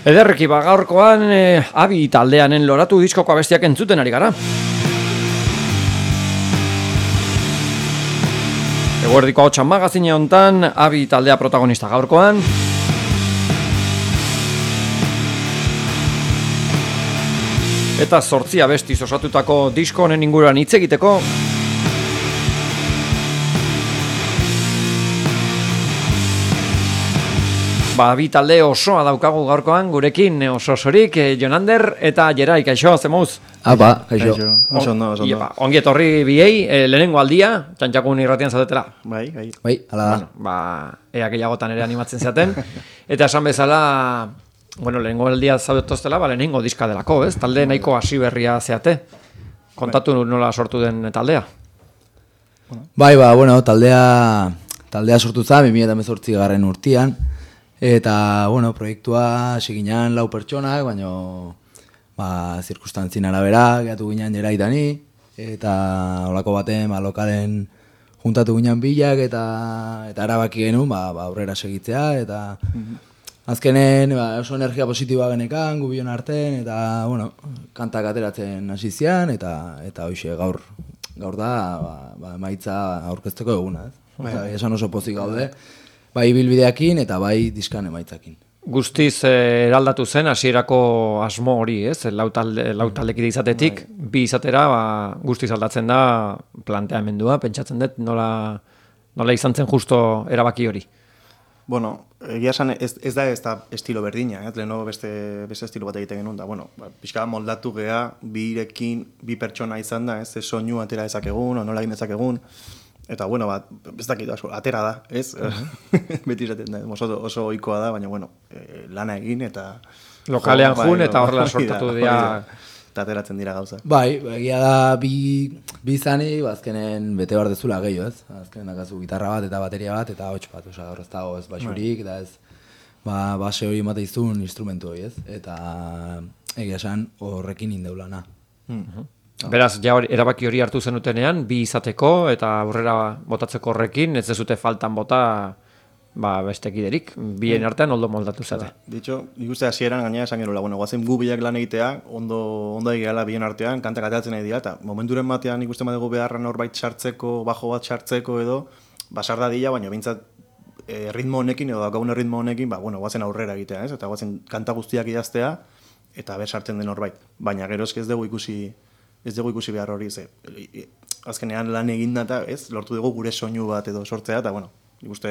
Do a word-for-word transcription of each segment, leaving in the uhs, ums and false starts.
Ederreki, ba, gaurkoan e, Abi taldeanen loratu diskoko abestiak entzuten ari gara. Eguerdiko hotxan magazine hontan, Abi taldea protagonista gaurkoan. Eta zortzi abestiz osatutako disko honen inguruan hitz egiteko. Ba, Abi talde osoa daukagu gaurkoan, gurekin oso osorik, eh, Jonander eta Jerai, kaixo, zemuz? Apa, kaixo. Oso ondo, oso ondo. Ongi etorri biei, eh, lehenengo aldia, txantxakun irratian zaudetela. Bai, bai. Bai, hala da. Bueno, ba, ea gehiagotan ere animatzen zaten. Eta esan bezala, bueno, lehenengo aldia zaudetoztela, ba, lehenengo diska delako, ez? Talde nahiko hasi berria zeate. Kontatu nola sortu den taldea. Bai, ba, bueno, taldea, taldea sortu za, bi mila hemezortzi garren urtian. Eta, bueno, proiektua seginan lau pertsonak, baina ba, zirkustantzien arabera, gehatu ginen Jeraitani, eta holako baten, ba, lokalen juntatu ginen bilak, eta eta erabaki genuen, ba, ba, aurrera segitzea, eta azkenen ba, oso energia positiboa genekan, gubion arten, eta, bueno, kantak ateratzen hasi zian, eta eta hoxe, gaur, gaur da, ba, ba, emaitza aurkezteko eguna, ez? Eta, esan oso pozik gaude. Bai ibilbideakin eta bai diskan emaitzakin. Guztiz eh, eraldatu zen hasierako asmo hori, ez? Lau talde, lau taldekide izatetik, bai. Bi izatera ba, guztiz aldatzen da planteamendua, pentsatzen dut nola, nola izan zen justo erabaki hori. Bueno, egia esan ez, ez da ez da estilo berdina, eh? Leheno beste, beste estilo bat egiten genuen da. Bueno, ba, pixka moldatu gea, birekin, bi pertsona izan da, ez? Ez soinu atera dezakegun, o nola egin dezakegun. Eta, bueno, bat, ez dakit, atera da, ez? Uh-huh. Beti izaten da, oso, oso ohikoa da, baina, bueno, e, lana egin eta... Lokalean jun bai, eta horrela sortatu dira... Eta ateratzen dira gauza. Bai, egia da, bi, bi zani, azkenen bete behar dezula gehiago, ez? Azkenen dakazu gitarra bat eta bateria bat, eta hots bat, oza, horrez dago ez baxurik, eta ez, ba, base hori emate izun instrumentu hori, ez? Eta egia esan horrekin indeulana. Uh-huh. Beraz, ja hori, erabaki hori hartu zenutenean, bi izateko eta aurrera botatzeko horrekin, ez dezute faltan bota ba, bestekiderik, bien artean oldo moldatu zate. De hecho, nik uste hasieran gainera esan gerola, bueno, guazen gu biak lan egitea, ondo, ondo egiala bien artean, kantak ateratzen nahi dira, eta momenturen batean nik uste badego beharra norbait sartzeko, bajo bat sartzeko edo, basar dadila, baina bintzat e, ritmo honekin edo daukagun ritmo honekin, ba, bueno, guazen aurrera egitea, ez? Eta guazen kanta guztiak idaztea, eta ber sartzen den norbait. Baina gero eske ez dugu ikusi ez dugu ikusi behar hori, ze, azkenean lan eginda eta, ez, lortu dugu gure soinu bat edo sortzea, eta, bueno, nik uste,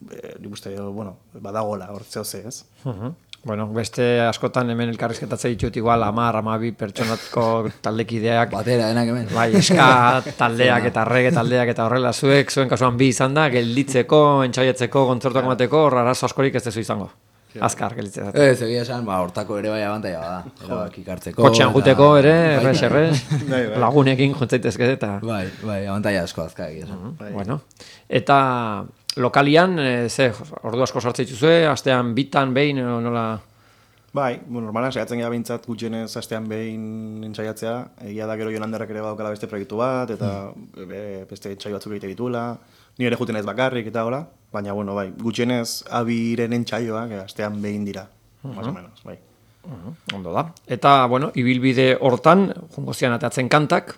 nik uste, bueno, badagola, hortzeo ze, ez? Uh-huh. Bueno, beste askotan hemen elkarrizketatzen ditut igual amar, amabi pertsonatko taldekideak. Batera, denak hemen. Bai, eska taldeak eta reggae taldeak eta horrela, zuek, zuen kasuan bi izan da, gelditzeko, entsaietzeko, kontzertuak emateko, arazo askorik ez dezu izango. Azkar, gelitzea. Ez, egia esan, ba, hortako ere bai abantaia bada. Erabak ikartzeko. Kotxean juteko ere, erres, erres, lagunekin juntzaitezke eta... Bai, bai, abantaia asko azka egia esan. Uh-huh. Bueno, eta lokalian, e, ze, ordu asko sartzen dituzue, astean bitan, behin, nola... Bai, bueno, normalan saiatzen gara bintzat gutxienez astean behin entzaiatzea, egia da gero Jonanderrak ere badaukala beste proiektu bat, eta mm. be, beste entzai batzuk egite ditula, ni ere juten ez bakarrik eta hola, baina, bueno, bai, gutxienez Abiren entsaioak astean behin dira, uh-huh. Más o menos, bai. Uh-huh. Ondo da. Eta, bueno, ibilbide hortan, jungo zian atatzen kantak,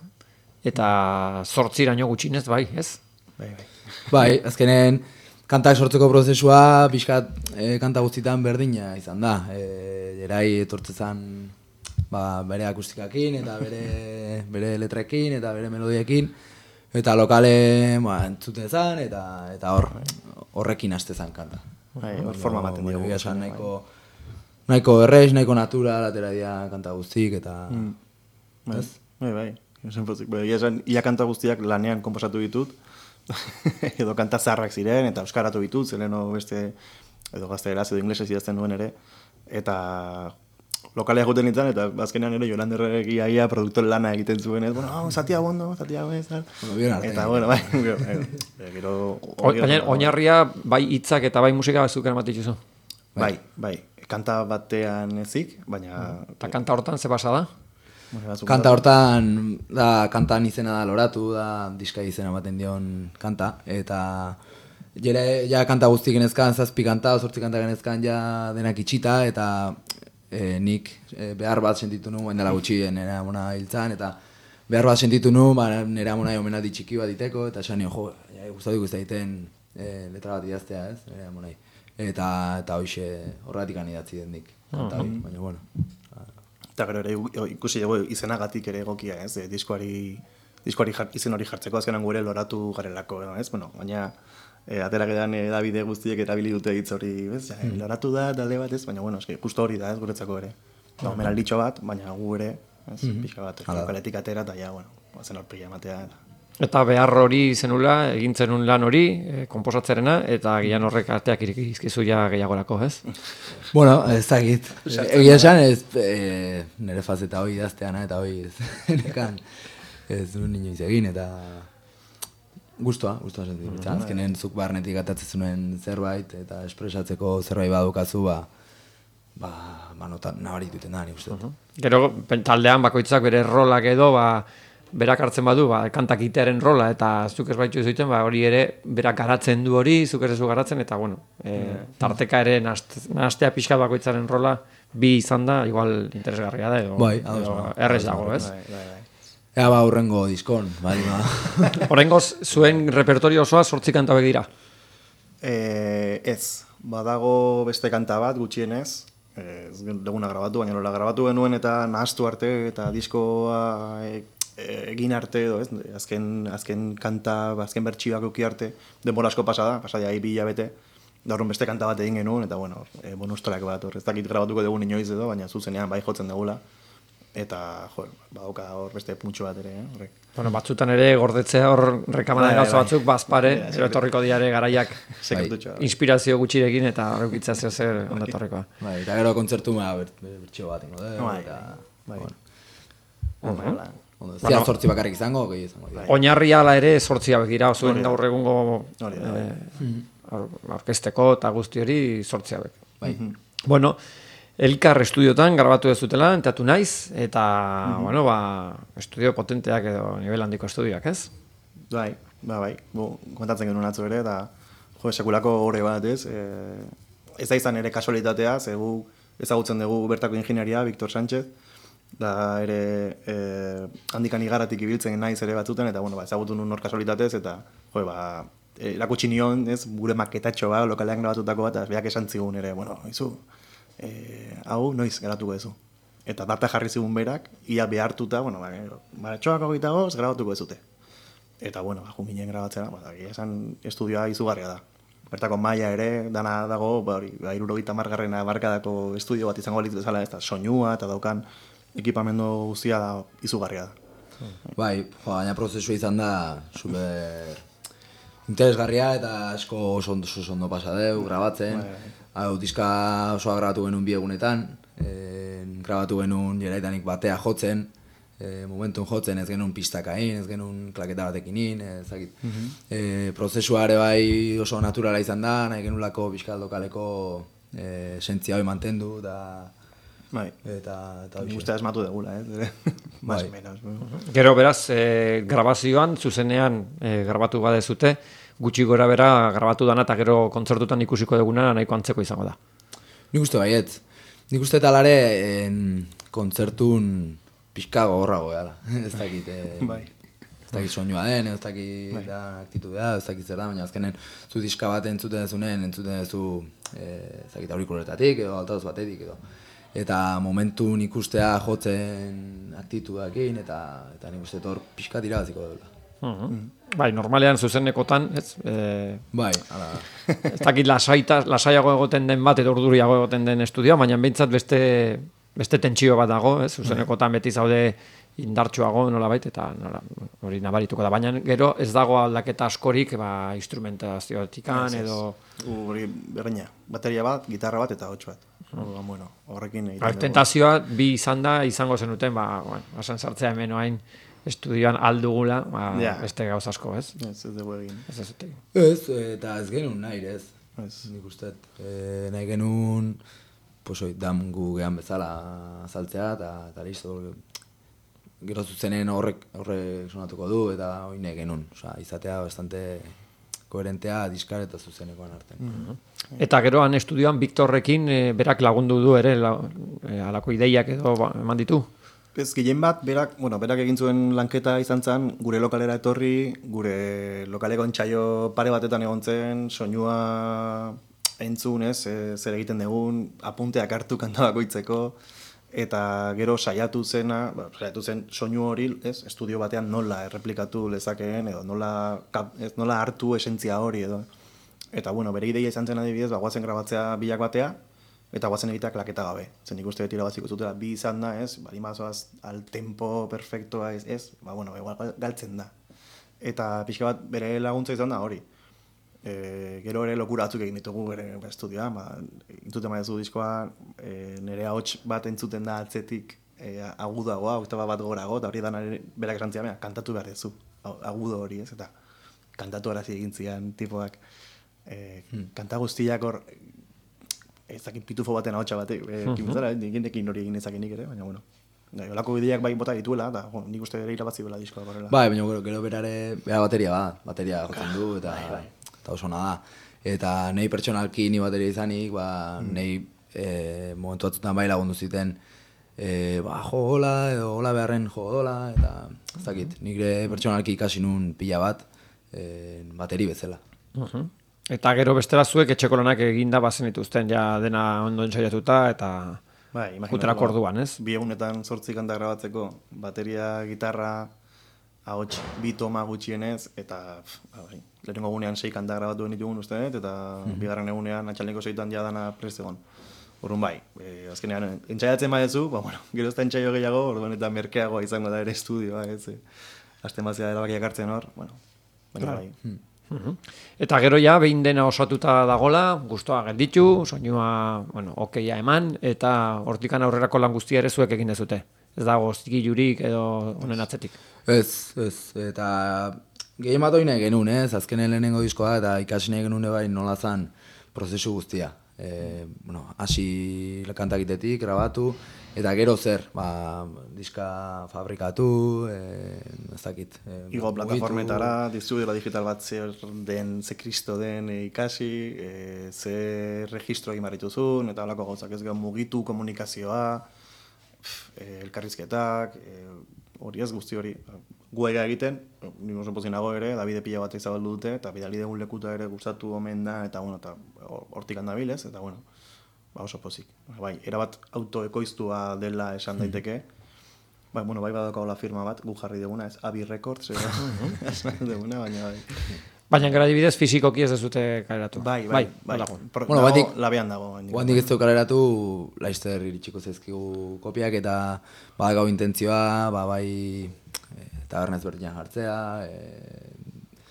eta zortziraino gutxinez, bai, ez? Bai, bai. Bai, azkenen, kantak sortzeko prozesua, pixkat e, kanta guztietan berdina izan da. E, Jerai etortzezan ba, bere akustikakin, eta bere, bere letrekin, eta bere melodiekin, eta lokale ba, entzutezan, eta eta hor horrekin hastezan kanta. Bai, hor forma ematen dugu. Egia esan nahiko, nahiko errez, nahiko natural, atera dira kanta guztik, eta... Mm. Bai, bai, bai. Egia esan, ia kanta guztiak lanean konposatu ditut, edo kanta zaharrak ziren, eta euskaratu ditut, zeleno beste, edo gaztegeraz, edo inglesez idazten nuen ere, eta lokalea juten nintzen, eta azkenean ere Jolanderrek iaia produktore lana egiten zuen, ez, bueno, oh, zatia bondo, zatia bez, eta, bueno, bai, gero... Oinarria, bai hitzak eta bai musika batzuk eramatituzu? Bai, bai, kanta batean ezik, baina... Eta kanta hortan ze basa da? Kanta hortan, da, kantan izena da loratu, da, diska izena ematen dion kanta, eta jere, ja kanta guzti genezkan, zazpi kanta, zortzi kanta genezkan ja denak itxita, eta e, nik e, behar bat sentitu nu, bain dela gutxi nire amona hiltzan, eta behar bat sentitu nu, ba, nire amona omenaldi txiki bat diteko, eta esan nio, jo, ja, gustatu guzti egiten e, letra bat idaztea, ez, nire amonai. Eta, eta hoxe horregatik anidatzi den nik, kanta hori, baina, bueno. Eta gero ere ikusi dugu izenagatik ere egokia, ez, e, diskoari, diskoari jar, izen hori jartzeko azkenan gure loratu garelako, ez, bueno, baina e, atera gedan edabide guztiek erabili dute hitz hori, ez, ja, mm. loratu da, talde bat, ez, baina, bueno, eski, justo hori da, ez, guretzako ere. Da, omenalditxo bat, baina gu ere, ez, mm -hmm. pixka bat, lokaletik atera, eta ja, bueno, zen horpila ematea, eta... Eta behar hori zenula, egin zenun lan hori, e, komposatzerena, eta gian horrek arteak irikizkizu ja gehiagorako, ez? Bueno, ez dakit. Egia esan, ez e, nire fazeta hori idazteana, eta hori ez nekan ez duen inoiz egin, eta guztua, guztua sentitu. Mm -hmm. Azkenen zuk barnetik atatzen zuen zerbait, eta espresatzeko zerbait badukazu, ba, ba, ba notan nabarituten da, nik uste. Uh -huh. Gero, taldean bakoitzak bere rolak edo, ba, berak hartzen badu, ba, kantak itearen rola, eta zuk ez baitu zuten, ba, hori ere, berak garatzen du hori, zuk ez zu garatzen, eta, bueno, e, tarteka ere nahastea pixka bakoitzaren rola, bi izan da, igual interesgarria da, edo, bai, edo errez dago, ez? Bai, bai, bai. Ea ba, hurrengo diskon, bai, ba. Horrengoz, zuen repertorio osoa sortzi kanta begira? E, ez, badago beste kanta bat, gutxienez, ez duguna grabatu, baina nola grabatu genuen eta nahastu arte, eta diskoa e, egin arte edo, ez? Azken, azken kanta, azken bertsioak euki arte, denbora asko pasada, pasada bi hilabete, da horren beste kanta bat egin genuen, eta bueno, e, bonustrak bat, hor, ez dakit grabatuko dugun inoiz edo, baina zuzenean bai jotzen dugula, eta, jo, badauka hor beste puntxo bat ere, eh, horrek. Bueno, batzutan ere gordetzea hor rekamana gauza bai, batzuk, bazpare, ero etorriko diare garaiak inspirazio gutxirekin, eta horreukitza zeo zer ondatorrikoa. Bai, eta gero kontzertu ma bertxio bat ingo, eta, bai, Zian sortzi bakarrik izango, gehi izango. Oinarri ala ere sortzia begira, zuen gaur egungo orkesteko eta guzti hori sortzia bek. Bueno, Elkar estudiotan grabatu ez dutela, entatu naiz, eta, bueno, ba, estudio potenteak edo nivel handiko estudioak, ez? Bai, ba, bai, bu, kontatzen genuen atzo ere, eta, jo, sekulako horre bat, ez? E, ez da izan ere kasualitatea, ze gu ezagutzen dugu bertako ingenieria, Victor Sánchez, da ere e, handikan igaratik ibiltzen naiz ere batzuten, eta bueno, ba, ezagutu nun hor kasualitatez, eta jo, ba, erakutsi nion, ez, gure maketatxo ba, lokalean grabatutako bat, eta beak esan zigun ere, bueno, izu, e, hau noiz grabatuko ezu. Eta data jarri zigun berak, ia behartuta, bueno, ba, maratxoak hogeita goz, grabatuko ezute. Eta, bueno, ba, juminen grabatzera, ba, esan estudioa izugarria da. Bertako maila ere, dana dago, ba, hori, ba, irurogeita margarrena barkadako estudio bat izango litz bezala, ez da, soinua, eta daukan, ekipamendu guztia da izugarria da. Bai, baina prozesua izan da super interesgarria eta asko oso ondo, oso ondo pasa deu, grabatzen. Hau, diska osoa grabatu genuen bi egunetan, e, grabatu genuen jeraitanik batea jotzen, e, momentun jotzen ez genuen pistakain, ez genuen klaketa batekin, ezakit. Mm -hmm. e, prozesua ere bai oso naturala izan da, nahi genulako bizkaldokaleko e, sentzia hori mantendu, da bai. Eta eta guztia asmatu degula, eh? Más o menos. Gero beraz, e, grabazioan, zuzenean e, grabatu badezute, gutxi gora bera grabatu dana eta gero kontzertutan ikusiko duguna nahiko antzeko izango da. Nik uste baiet. Nik uste talare kontzertun pixka gogorrago gara. Ez dakit, e, bai. Ez dakit soinua den, ez dakit bai. Da, aktitudea, ez dakit zer da, baina azkenen zu diska bat entzuten dezunen, entzuten dezu e, ez dakit aurikuletatik edo altavoz batetik edo. Eta momentun ikustea jotzen aktitudakin, eta, eta nik uste hor pixka irabaziko dela. Uh -huh. mm. Bai, normalean zuzenekotan, ez? E... Bai, ala. Ez dakit lasaita, lasaiago egoten den bat, edo urduriago egoten den estudioa, baina behintzat beste, beste tentsio bat dago, ez? Zuzenekotan beti zaude indartsuago nolabait, eta nola, hori nabarituko da. Baina gero ez dago aldaketa askorik, ba, instrumentazioetikan, edo... Hori berreina, bateria bat, gitarra bat eta hots bat. Ba, bueno, horrekin egiten dugu. Tentazioa bi izan da, izango zenuten, ba, bueno, basan sartzea hemen oain estudioan aldugula, ba, yeah. Beste gauz asko, ez? Ez, ez dugu egin. Ez, ez, ez, ez, eta ez genuen nahi, ez? Ez, nik uste, e, nahi genuen, pues, oi, dam gu gehan bezala azaltzea, eta, eta listo, gero zuzenen horrek, horrek sonatuko du, eta hori nahi genuen, oza, izatea bastante koherentea diskar eta zuzenekoan artean. Mm-hmm. Eta gero han estudioan Viktorrekin e, berak lagundu du ere la, e, alako ideiak edo ba, eman ditu? Ez, gehien bat, berak, bueno, berak egin zuen lanketa izan zen, gure lokalera etorri, gure lokaleko entsaio pare batetan egon zen, soinua entzun, ez, e, zer egiten dugun, apunteak hartu kanta bakoitzeko, eta gero saiatu zena, ba, saiatu zen soinu hori, ez, estudio batean nola erreplikatu lezakeen, edo nola, ez, nola hartu esentzia hori, edo. Eta, bueno, bere ideia izan zen adibidez, ba, guazen grabatzea bilak batea, eta guazen egitea klaketa gabe. Zen ikuste beti irabaziko zutela, bi izan da, ez, bali mazoaz al tempo perfectoa, ez, ez, ba, bueno, igual galtzen da. Eta pixka bat bere laguntza izan da hori. E, gero ere lokura batzuk egin ditugu bere estudioa, ba, entzuten maizu diskoa, e, nire ahots bat entzuten da atzetik e, agudagoa, oktaba bat gorago, eta hori da berak esan zian, kantatu behar dezu, agudo hori, ez, eta kantatu arazi egin zian tipoak. E, hmm. Kanta guztiak hor, ez dakit pitufo baten ahotsa batek, e, kimuzara, egindekin hori egin ezakinik ere, baina bueno. Gai, olako bideak bai bota dituela, eta jo, nik uste ere irabazi bela diskoa horrela. Bai, baina gero, gero berare, bera bateria bat, bateria jotzen du, eta, bai, bai. Eta oso da. Eta nahi pertsonalki ni bateria izanik, ba, mm. nahi e, momentu batzutan bai lagundu ziten, e, ba, jo hola, edo hola beharren jo dola, eta ez dakit, nik pertsonalki ikasi nun pila bat, e, bateri bezala. Uh-huh. Eta gero beste batzuek etxeko lanak eginda bazen dituzten, ja dena ondo entsaiatuta, eta bai, juterako orduan, ez? Bi egunetan zortzi kanta grabatzeko, bateria, gitarra, ahots bi toma gutxienez, eta bai, lehenengo egunean sei kanta grabatu ditugun uste dut, eta mm-hmm. bigarren egunean atxaleko seitan ja dana prest egon. Orduan bai, e, azkenean entzaiatzen badezu, ba, bueno, gero ez da entzaio gehiago, orduan eta merkeagoa izango da ere estudioa, ez, e, azten bazia erabakiak hartzen hor, bueno, baina bai. Hmm. Uh-huh. Eta gero ja, behin dena osatuta dagola, gustoa gelditu, soinua, bueno, okeia eman, eta hortikan aurrerako lan guztia ere zuek egin dezute. Ez dago zigilurik edo honen atzetik. Ez, ez, eta gehien bat hori nahi genuen, ez, azkenen lehenengo diskoa, eta ikasi nahi genuen bai nola zan prozesu guztia. E, bueno, hasi kantakitetik, grabatu, eta gero zer, ba, diska fabrikatu, e, ez dakit. E, Igo plataformetara, distribuidora digital bat zer den, ze kristo den e, ikasi, e, ze registro egin barrituzun, eta holako gauzak ez gero mugitu komunikazioa, e, elkarrizketak, e, hori ez guzti hori. Gu ega egiten, nire oso pozin nago ere, Davide pila bat izabaldu dute, eta bidali degun lekuta ere gustatu omen da, eta bueno, eta hortik handa bilez, eta bueno, ba oso pozik. Bai, erabat autoekoiztua dela esan daiteke, bai, bueno, bai badaukago la firma bat, gu jarri deguna, ez Abi Records, esan deguna, baina bai. Baina gara dibidez fizikoki ez dezute kaleratu. Bai, bai, bai. bai. Pro, bueno, dago, labean dago. Guandik ez du kaleratu, laizter iritsiko zezkigu kopiak, eta ba, gau intentzioa, ba, bai, e, tabernez berdinan jartzea, e,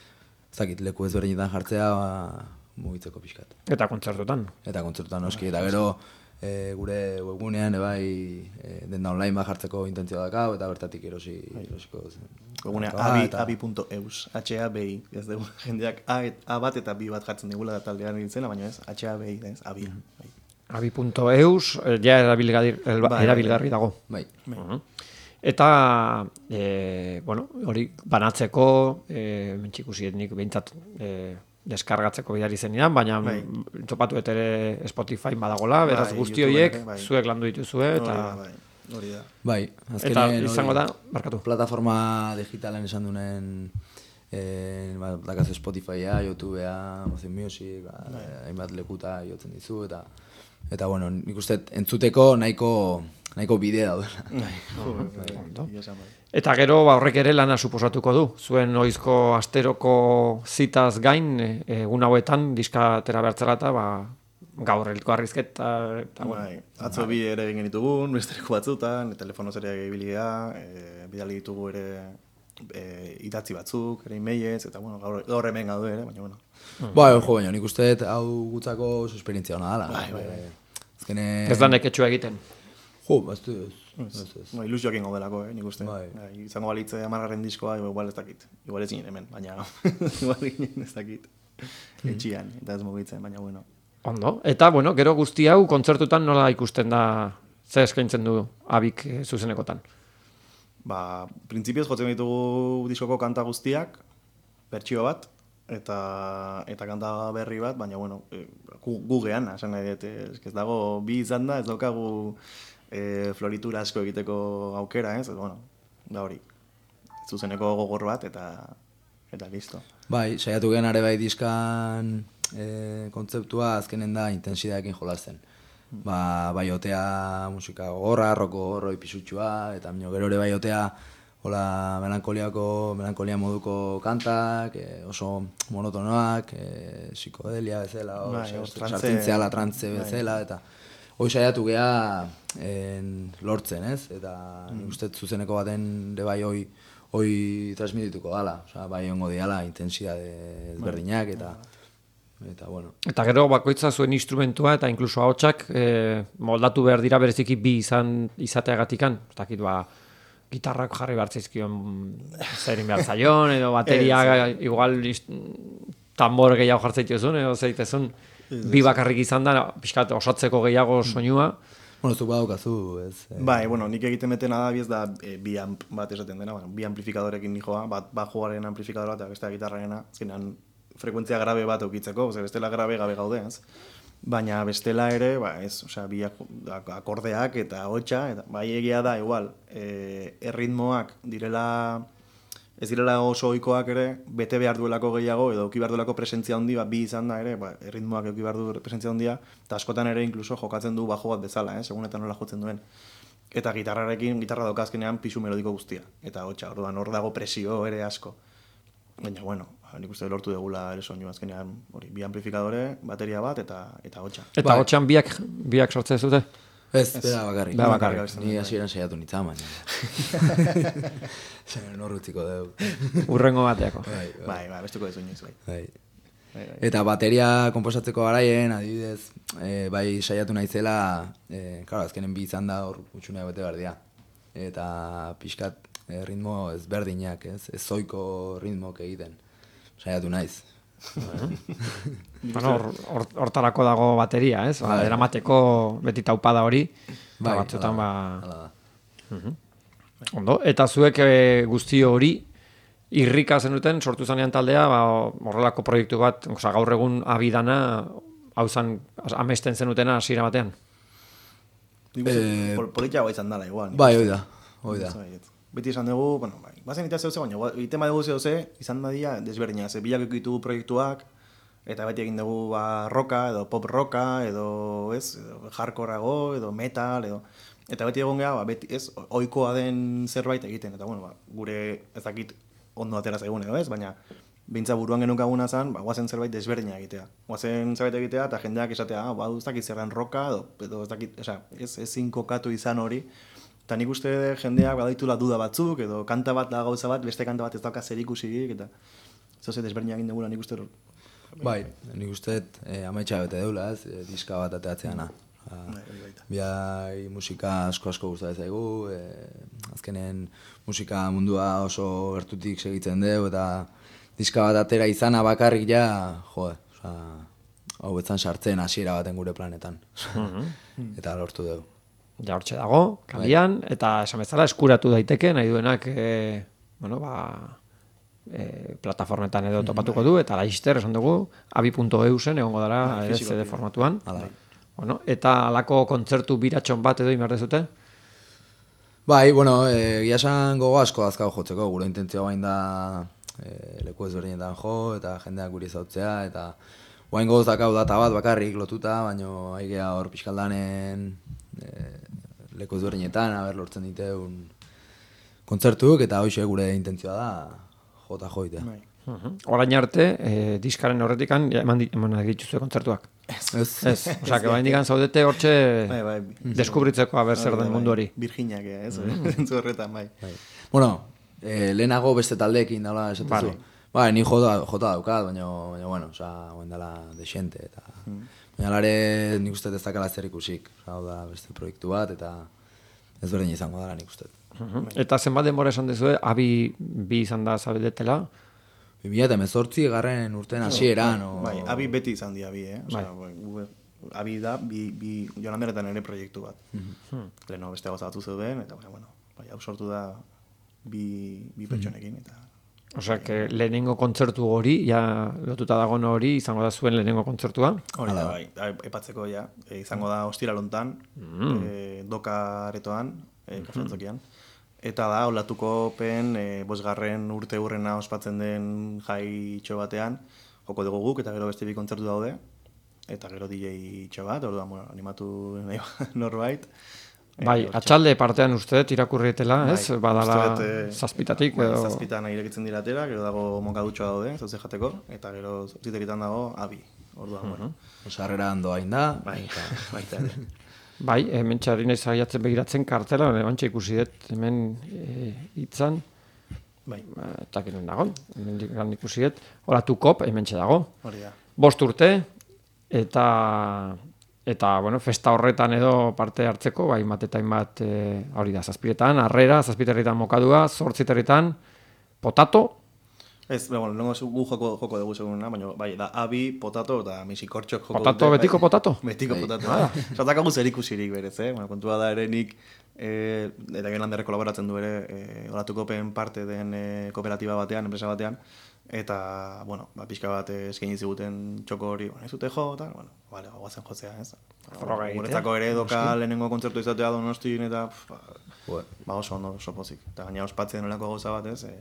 zakit, leku ez berdinetan jartzea, ba, mugitzeko pixkat. Eta kontzertutan. Eta kontzertutan noski, eta gero, e, gure webgunean, e, bai, e, denda online bat jartzeko intentzioa dakau, eta bertatik erosi, erosiko zen. Webgunea abi punto eus, H A B I, ez dugu jendeak A, A bat eta B bat jartzen digula da taldean egitzena, baina ez, H A B I, ez, abia. Bai. abi punto eus, ja erabilgarri, erabilgarri dago. Bai. Uh -huh. Eta, e, bueno, hori banatzeko, e, mentxikusienik behintzat e, deskargatzeko bidari zenidan, baina bai. Topatu ere Spotify badagola, beraz bai, guzti horiek, bai. Zuek landu dituzue, eta... Bai. Hori da. Bai, eta izango da, barkatu. Plataforma digitalen esan dunen, eh, ba, dakazu Spotifya, YouTubea, Amazon Music, ba, hainbat lekuta jotzen dizu, eta, eta bueno, nik uste entzuteko nahiko, nahiko bidea daudela. Eta gero ba, horrek ere lana suposatuko du. Zuen oizko asteroko zitaz gain, egun hauetan, diska atera behartzera eta, ba, gaur elko arrizketa, eta bueno. Bai, atzo bi ere egin ditugun, bestereko batzutan, telefonoz ere egibilia, e, bidali ditugu ere e, idatzi batzuk, ere emailez, eta bueno, gaur, gaur hemen gaude ere, baina bueno. Mm. Bai, jo, baina nik uste hau gutzako oso esperientzia hona dala. Bai, bai, bai. Azkene... Ez da neketxua egiten. Jo, baztu ez. ez, ez. Ba, ilusioak ingo delako, eh, nik uste. Bai. Bai, izango balitze amargarren diskoa, igual ez dakit. Igual ez ginen hemen, baina igual ginen ez dakit. Etxian, eta ez mugitzen, baina bueno. Ondo, eta bueno, gero guzti hau kontzertutan nola ikusten da, ze eskaintzen du Abik zuzenekotan? Ba, printzipioz jotzen ditugu diskoko kanta guztiak, bertsio bat, eta eta kanta berri bat, baina bueno, e, gu, gu geana, esan nahi dut, ez, ez dago bi izan da, ez daukagu e, floritura asko egiteko aukera, ez, bueno, da hori, zuzeneko gogor bat, eta eta listo. Bai, saiatu gen are bai diskan e, kontzeptua azkenen da intensidadekin jolasten. Ba, bai otea musika gogorra, roko gorroi pisutxua, eta mino gero ere bai otea hola melankoliako, melankolia moduko kantak, e, oso monotonoak, e, psikodelia bezala, bai, sartzintzeala trantze bezala, eta hoi saiatu gea en, lortzen, ez? Eta mm. nik uste zuzeneko baten de bai hoi hoi transmitituko dala, osea, bai ongo diala intensidade ezberdinak, eta eta bueno. Eta gero bakoitza zuen instrumentua eta inkluso ahotsak eh, moldatu behar dira bereziki bi izan izateagatikan. Ez dakit ba gitarrak jarri behar zaizkion zerin behar zaion, edo bateria igual tambor gehiago jartzaituzun, edo zeitezun bi bakarrik izan da, pixkat osatzeko gehiago soinua. Bueno, zuk badaukazu, ez? Eh... Bai, bueno, nik egiten betena da, ez da e, bi amp bat esaten dena, bueno, bi amplifikadorekin nijoa, bat bajoaren amplifikadora eta beste gitarrarena, azkenean frekuentzia grabe bat eukitzeko, ze bestela grabe gabe gaude, ez? Baina bestela ere, ba, ez, osea, bi akordeak eta hotxa, eta bai egia da, igual, e, erritmoak direla, ez direla oso ohikoak ere, bete behar duelako gehiago, edo euki behar duelako presentzia handi, ba, bi izan da ere, ba, erritmoak euki behar du presentzia handia, eta askotan ere inkluso jokatzen du bajo bat bezala, eh, segun eta nola jotzen duen. Eta gitarrarekin, gitarra daukazkenean pisu melodiko guztia, eta hotxa, orduan hor dago presio ere asko. Baina, bueno, nik uste lortu degula ere soinu azkenean, hori, bi amplifikadore, bateria bat, eta eta hotxa. Eta bai. Hotxan biak, biak sortzen zute? Ez, bera bakarrik. Bera bakarrik. Ni hasieran saiatu nintzen, baina. Zaren horretziko dugu. Urrengo bateako. Bai, bai, bai, bestuko dezu inoiz, bai. Bai. Eta bateria konposatzeko garaien, adibidez, e, bai saiatu naizela, e, claro, azkenen bi izan da hor utxunea bete behar dira. Eta pixkat e, ritmo ezberdinak, ez? Ez zoiko ritmok egiten. Saiatu naiz. Bueno, hortarako dago bateria, ez? Ba, eramateko beti taupada hori, bai, batzutan ba... Hala da. Uh-huh. Ondo, eta zuek e, guzti hori irrika zenuten sortu zanean taldea, ba, horrelako proiektu bat, oza, gaur egun abidana, hau zan, amesten zenutena hasiera batean? Eh, Politia izan dala, igual. Bai, hoi da, hoi da. Beti esan dugu, bueno, bai, bazen eta zehose, baina egiten badugu zehose, izan da dira desberdina, ze bilak ekitu proiektuak, eta beti egin dugu ba, roka, edo pop roka, edo, ez, edo hardcoreago, edo metal, edo... Eta beti egon geha, ba, beti, ez, ohikoa den zerbait egiten, eta bueno, ba, gure ez dakit ondo atera zaigun edo ez, baina bintza buruan genukaguna zen, ba, guazen zerbait desberdina egitea. Guazen zerbait egitea, eta jendeak esatea, ah, ba, ez dakit zerran roka, edo, edo ez dakit, esa, ez, ezin kokatu izan hori, eta nik uste jendeak badaitula duda batzuk, edo kanta bat da gauza bat, beste kanta bat ez dauka zerikusirik, eta zoze desberdinak egin dugula nik uste. Bai, nik uste eh, amaitxa bete deula, ez, eh, diska bat ateatzeana. Biai musika asko asko gustatzen zaigu, eh, azkenen musika mundua oso gertutik segitzen dugu, eta diska bat atera izana bakarrik ja, jo, oza, hau betzan sartzen hasiera baten gure planetan. Eta lortu dugu. Ja hortxe dago, kalian, eta esan bezala eskuratu daiteke, nahi duenak, e, bueno, ba, e, plataformetan edo topatuko du, eta laizter esan dugu, abi puntu e u zen egongo dara, ere C D formatuan. Bueno, eta alako kontzertu biratxon bat edo inbar dezute? Bai, bueno, e, giasan gogo asko azkau jotzeko, gure intentzioa bain da e, leku ezberdinetan jo, eta jendeak guri zautzea, eta guain goz dakau data bat bakarrik lotuta, baina haigea hor pixkaldanen e, leku ezberdinetan, haber lortzen diteun kontzertuk, eta hoxe gure intentzioa da jota joitea. Bai. Uh-huh. Orain arte, eh, diskaren horretikan, ja, eman, eman dituzue kontzertuak. Ez. Ez, osea, que bain digan zaudete hortxe bai, bai. deskubritzeko haber zer den mundu hori. Virginiak, ez, zentzu horretan, bai. bai. Bueno, eh, lehenago beste taldeekin dala esatezu. Vale. Bai, ni jota, jota daukat, baina, baina bueno, osea, guen dela desente, eta... Mm. Baina lare nik uste ez dakala zer ikusik, hau da beste proiektu bat, eta ez berdin izango dara nik uste. Uh-huh. Eta zenbat denbora esan dezue, abi bi izan da zabedetela? bi mila hemezortzi garren urten hasieran. No, bai, bai, abi beti izan di abi, eh? Osea, bai. Abi da, bi, bi Joan Anderetan ere proiektu bat. Mm-hmm. Leno beste gauza batzu zeuden, eta bueno, bai, hau sortu da bi, bi pertsonekin, eta... Osea, que lehenengo kontzertu hori, ja lotuta dagoen hori, izango da zuen lehenengo kontzertua. Hori da, bai, epatzeko ja, e, izango da ostiralontan, mm. e, doka aretoan, e, kafrantzokian. Eta da, olatuko pen, e, bosgarren urte hurrena ospatzen den jai itxo batean, joko dugu guk, eta gero beste bi kontzertu daude, eta gero D J itxo bat, orduan, bueno, animatu nahi norbait. Bai, atxalde partean uste dut irakurrietela, ez? Bai, badala e, zazpitatik. Bai, edo... zazpitan irekitzen diratera, gero dago mokadutxoa daude, zauze jateko, eta gero zazpiteritan dago abi. Orduan, uh -huh. bueno. Osarrera handoa inda. Bai, baita ere. Bai, hemen txarri nahi zaiatzen begiratzen kartela, bantxe ikusi dut hemen hitzan. E, bai. Eta genen dago, hemen ikusi dut. Olatu kop, hemen dago. Hori da. Bost urte, eta... Eta, bueno, festa horretan edo parte hartzeko, bai, hainbat eta hainbat, e, hori da, zazpiretan, harrera, zazpiterritan mokadua, zortziterritan, potato. Ez, bueno, lengo gu joko, joko dugu seguruna, baina, bai, da, abi, potato, eta misikortxok joko potato, dute. Betiko bai, potato? Betiko bai. Potato, ah. Zatakagu zer ikusirik berez, eh? Bueno, kontua da ere nik, e, eta gen landerre kolaboratzen du ere, e, olatukopen parte den e, kooperatiba batean, enpresa batean, eta, bueno, ba, pixka bat eskaini ziguten txoko hori, bueno, ez dute jo, eta, bueno, bale, guazen jotzea, ez? Guretzako ere doka lehenengo kontzertu izatea Donostin, eta, pf, ba, ba oso ondo, oso pozik. Eta gaina ospatzen olako gauza bat, ez? E,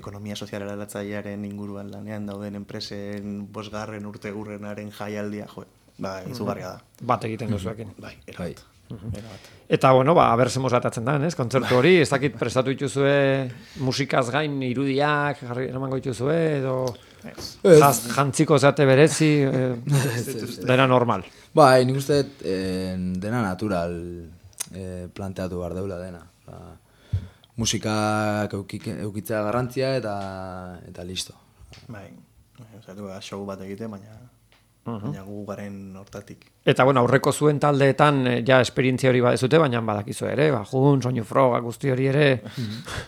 ekonomia sozialera latzailearen inguruan lanean dauden enpresen bosgarren urtegurrenaren jaialdia, jo, ba, izugarria da. Bat egiten duzuekin. Bai, erabat. Eta, bueno, ba, abertzemos atatzen da, ez? Kontzertu hori, ez dakit prestatu dituzue musikaz gain irudiak, jarri eramango dituzue, edo jaz, jantziko zate berezi, eh, dena normal. Bai, nik uste eh, dena natural eh, planteatu behar deula dena. Ba, musikak eukitzea garrantzia eta eta listo. Bai, zaitu da show bat egite, baina... Uh -huh. Baina gu garen hortatik. Eta, bueno, aurreko zuen taldeetan ja esperientzia hori badezute, baina badakizu ere, ba, jun, soinu froga, guzti hori ere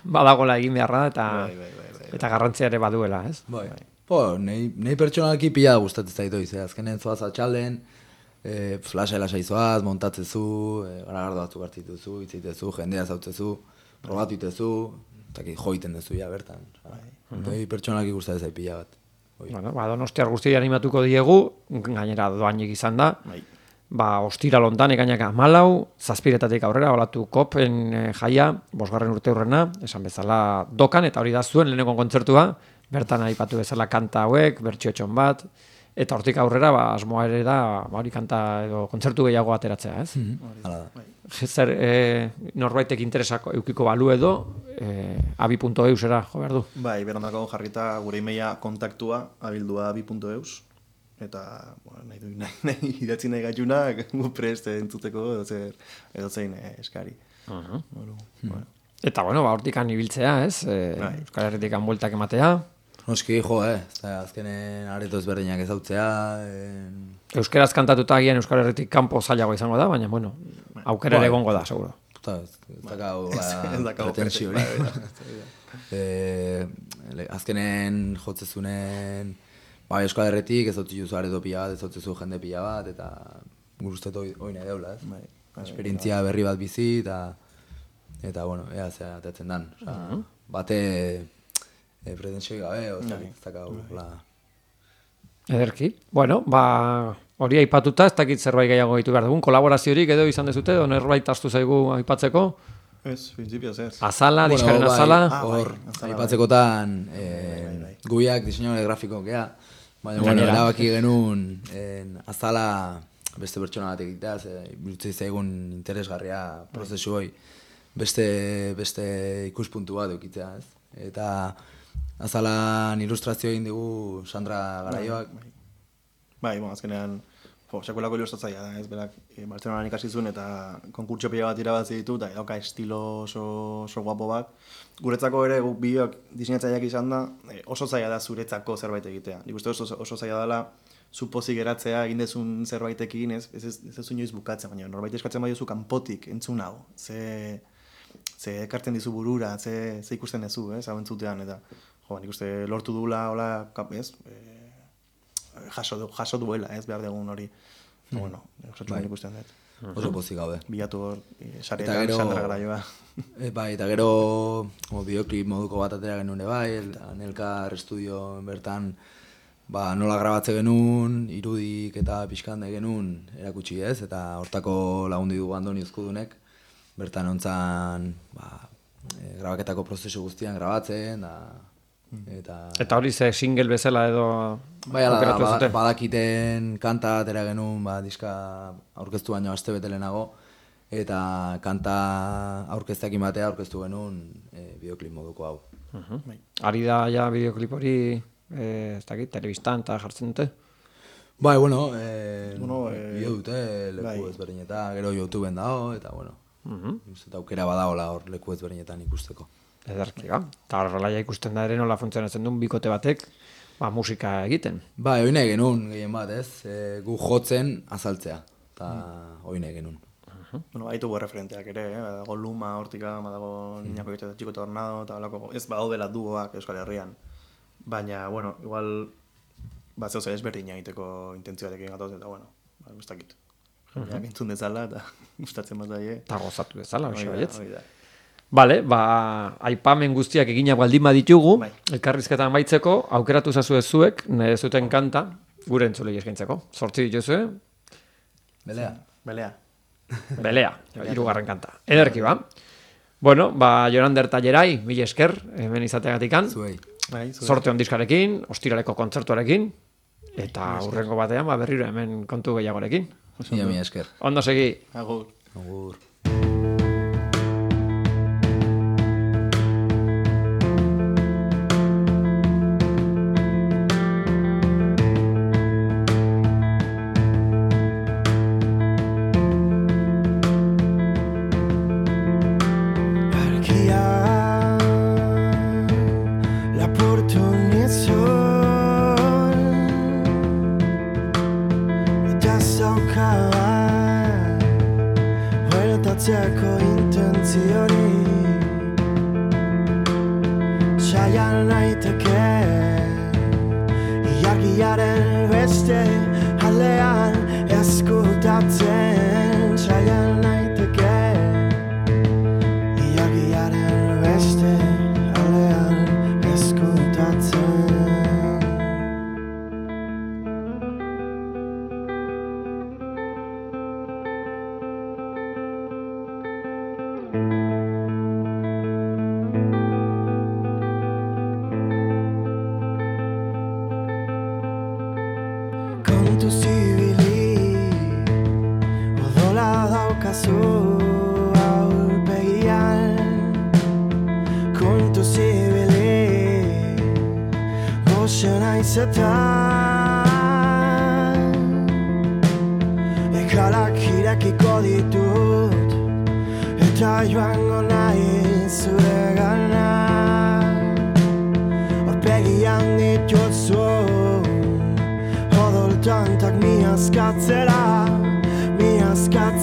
badagola egin beharra da, eta, bai, bai, bai, bai, eta garrantzia ere baduela, ez? Bai, bai. Po, nahi, nahi pertsonalki pila gustatzen zaitu izan, azkenen zoaz atxalden, e, flasha lasai zoaz, montatzezu, e, garagardo batzuk hartituzu, itzitezu, jendea zautzezu, probatu itezu, eta joiten dezu ja bertan. Bai. Nahi pertsonalki gustatzen zaitu pila bat. Bueno, ba, Donostiar guztia animatuko diegu, gainera doainik izan da. Bai. Ba, ostira lontan ekainak amalau, zazpiretatik aurrera, olatu kopen e, jaia, bosgarren urte hurrena, esan bezala dokan, eta hori da zuen leheneko kontzertua, bertan aipatu bezala kanta hauek, bertxiotxon bat, eta hortik aurrera, ba, asmoa ere da, ba, hori kanta edo kontzertu gehiago ateratzea, ez? Mm-hmm. Hala da. Zer, e, norbaitek interesako eukiko balu edo, e, abi punto eusera, jo behar du? Bai, berondako jarrita gure imeia kontaktua, abildua abi punto eus, eta, bueno, nahi du, nahi, nahi, idatzi nahi gaitunak, gu prest entzuteko edo zer, edo zein eh, eskari. Uh -huh. bueno, hmm. bueno. Eta, bueno, ba, hortikan ibiltzea, ez? E, bai. Euskal Herritikan bueltak ematea. Noski, jo, eh? Azkenen areto ezberdinak ezautzea. En... Euskaraz kantatuta agian Euskal Herritik kanpo zailago izango da, baina, bueno, aukera ere egongo da, seguro. Ez dakau pretensio hori. Azkenen jotzezunen ba, Euskal Herritik ez dut juzu areto pila bat, ez dut jende pila bat, eta guruztet hori nahi deula, ez? Esperientzia berri bat bizi, eta, eta bueno, ea zera atetzen dan. Osa, bate e, pretensioi gabe, oza, ez dakau, la... Ederki. Bueno, ba, hori aipatuta, ez dakit zerbait gehiago ditu behar dugun, kolaboraziorik edo izan dezute, edo nerbait astu zaigu aipatzeko? Ez, principios ez. Azala, bueno, diskaren bai, azala. Hor, ah, aipatzekotan, eh, guiak diseinore grafiko gea, baina, bueno, erabaki genuen en, azala beste pertsona bat egitea, birutzei zaigun interesgarria prozesu hoi, beste, beste ikuspuntu bat eukitzea, ez? Eta azalan ilustrazio egin dugu Sandra Garaioak. Bai, bai, bon, azkenean, jo, sekuelako ilustratzaia da, ez, berak, e, Bartzelonan ikasi zuen eta konkurtso pila bat irabazi ditu, eta dauka estilo oso, oso guapo bat. Guretzako ere, guk biok diseinatzaileak izan da, e, oso zaila da zuretzako zerbait egitea. Nik uste oso, oso zaila dela, zu pozik geratzea egin dezun zerbaitekin, ez, ez, ez, ez, ez inoiz bukatzen, baina norbait eskatzen badiozu kanpotik entzun hau, ze, ze ekartzen dizu burura, ze, ze ikusten dezu, ez, hau entzutean, eta jo, nik uste lortu duela, hola, ez, e, jaso, du, jaso duela, ez, behar dugun hori. Hmm. Bueno, osatxuan ikusten dut. oso pozik gaude. Bilatu hor, e, Eta sarietan gero- Sandra Garaioa. E, bai, eta gero o, bideoklip moduko bat atera genuen ere bai, eta Nelkar estudio bertan ba, nola grabatze genuen, irudik eta pixkande genuen erakutsi ez, eta hortako lagundi dugu Andoni Uzkudunek, bertan ontzan ba, e, grabaketako prozesu guztian grabatzen, da, eta... Eta hori ze single bezala edo Bai, ala, aukeratu ba, zuten? badakiten kanta atera genuen, ba, diska aurkeztu baino aste bete lehenago, eta kanta aurkezteakin batea aurkeztu genuen e, bideoklip moduko hau. Uh-huh. Ari da ja bideoklip hori, e, ez dakit, telebistan eta jartzen dute? Bai, bueno, e, Bueno, eh, bideo dute leku bai. ezberdinetan, gero YouTubeen dago, eta bueno, Uh-huh. eta aukera badagola hor leku ezberdinetan ikusteko. Ederki da. Eta horrela ja ikusten da ere nola funtzionatzen duen bikote batek ba, musika egiten. Bai, hori nahi genuen gehien bat, ez? E, gu jotzen azaltzea, eta hori nahi genuen. Bueno, baitugu referenteak ere, eh? Badago Luma, Hortika, badago Niñako Bitxe eta Txiko Tornado, eta balako, ez badaudela duoak Euskal Herrian. Baina, bueno, igual, bat zehose ezberdin egiteko intentzioarekin gatoz, eta bueno, ba, gustakit. Jendeak entzun dezala, eta gustatzen bat daie. Eta gozatu bezala, Hori hoxe da, baietz. hori da. Bale, ba, aipamen guztiak eginak baldin baditugu, Bai. elkarrizketan baitzeko, aukeratu zazu zuek, nire zuten kanta, gure entzulei eskaintzeko. Zortzi dituzue, Belea? Belea. Belea, hirugarren kanta. Ederki ba. Bueno, ba, Jorander eta Jerai, mila esker, hemen izateagatikan. Zuei. Bai, zuei. Sorte on diskarekin, ostiraleko kontzertuarekin, eta hurrengo batean, ba, berriro hemen kontu gehiagorekin. Mila, mila esker. Ondo segi. Agur. Agur. Argia, la porto nel sol, eta zaukaba huertatzeko intenzioni. Saian naiteke ilargiaren beste aldean eskutatzen. Saian naiteke ilargiaren beste aldean eskutatzen. Kontu zibili odola daukazu aurpegian. Kontu zibili goxe naiz eta ekalak irekiko ditut eta joango nahi zuregana. Aurpegian dituzu odol tantak mi askatzera, mi askatzera.